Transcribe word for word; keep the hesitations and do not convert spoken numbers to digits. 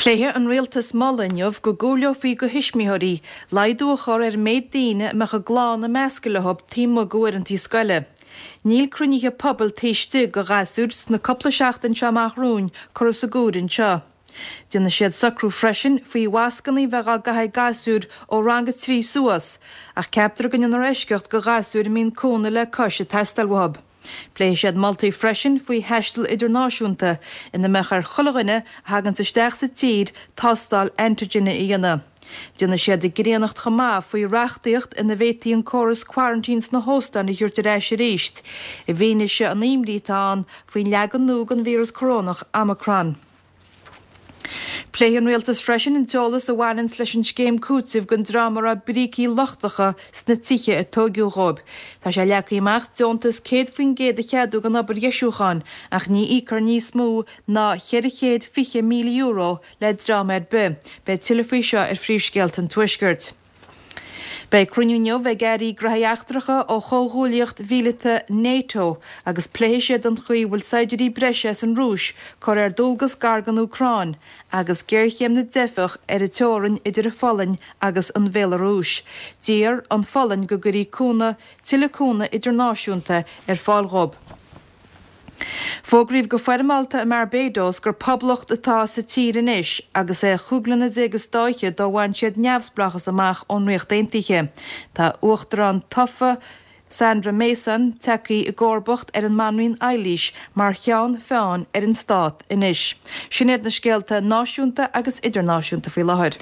Pléifidh an Rialtas moladh inniu go gcomhairleofaí do thuismitheoirí laghdú a chur ar an méid daoine a mbeadh a gclann ag meascadh leo taobh amuigh d'uaireanta scoile. Níl cruinnithe pobail taobh istigh de ghasúir sna cúpla seachtain seo amach romhainn curtha sa gcomhaireamh anseo. Déanfaidh siad socrú freisin faoi mhascanna a bheith á gcaitheamh ag gasúir ó rang a trí suas, ach ceaptar go ndéanfar eisceacht do ghasúir a mbíonn cúnamh le cois ag teastáil uathu. Pléifidh siad moltaí freisin faoi thaisteal idirnáisiúnta ina mbeadh ar chuile dhuine a thaganns isteach sa tír tástáil antigine a dhéanamh. Déanfaidh siad greannacht chomh maith faoi reachtaíocht ina bhféadfaí an córas quarantine sna hóstáin a thabhairt ar ais arís, i bhfianaise an imní atá ann faoin leagan nua den víreas corónach Omicron. Pléifidh an Rialtas freisin an t-eolas a bhaineanns leis an scéim cúitimh don dream a raibh brící lochtacha sna tithe a tóigeadh dhóibh. Tá sé leagtha amach deontas céad faoin gcéad a cheadú don obair dheisiúcháin ach ní íocfar níos mó ná ceithre chéad fiche míle euro le dream ar bith. Beidh tuilleadh faoi seo ar Phríomhscéalta an Tuaiscirt. Beidh cruinniú inniu ag airí gnóthaí eachtracha ó chomhghuaillíocht mhíleata NATO agus pléifidh siad an chaoi a bhfuil saighdiúirí breise as an Rúis curtha ar dualgas gar don Úcráin agus géarchéim na dteifeach ar an teorainn idir an Pholainn agus an Bhéalarúis. D'iarr an Pholainn go gcuirfí cúnamh tuilleadh cúnamh idirnáisiúnta ar fáil dhóibh. Fógraíodh go foirmeálta i mBarbados gur poblacht atá sa tír anois agus é chúig bliana déag is dá fhichead ó bhain siad neamhspleáchas amach ón Ríocht Aontaithe. Tá uachtarán tofa Sandra Mason tagtha i gcomharbacht ar an mBanríon Eilís mar cheann feadhain ar an stát anois. Sin iad na scéalta náisiúnta agus idirnáisiúnta faoi láthair.